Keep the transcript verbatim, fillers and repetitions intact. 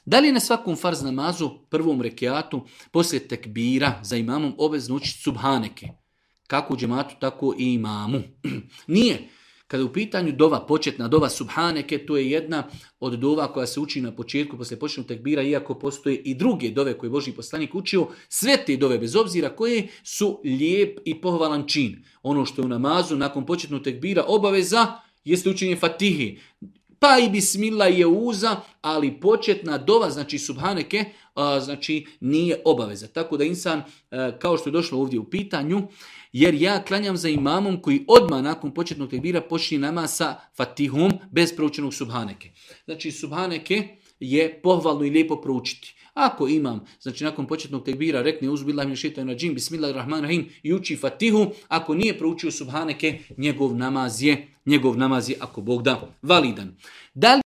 Da li je na svakom farz namazu, prvom rekiatu, poslije tekbira za imamom obvezno učiti subhaneke? Kako u džematu, tako i imamu. Nije. Kada je u pitanju dova, početna dova subhaneke, to je jedna od dova koja se uči na početku, poslije početnog tekbira, iako postoje i druge dove koje je Božji poslanik učio, sve te dove, bez obzira koje su lijep i pohvalan čin. Ono što je u namazu, nakon početnog tekbira, obaveza, jeste učenje fatihi. Pa i bismillah je uza, ali početna dova, znači subhaneke, a, znači nije obaveza. Tako da insan, a, kao što je došlo ovdje u pitanju, jer ja klanjam za imamom koji odmah nakon početnog tekbira počne namaz sa fatihom bez proučenog subhaneke. Znači subhaneke je pohvalno i lijepo proučiti. Ako imam, znači nakon početnog tekbira rekne uzbillahi minash šejtanir radžim, bismillahirrahmanirrahim i uči fatihu, ako nije proučio subhaneke, njegov namaz je, njegov namaz je, ako Bog da, validan. Da li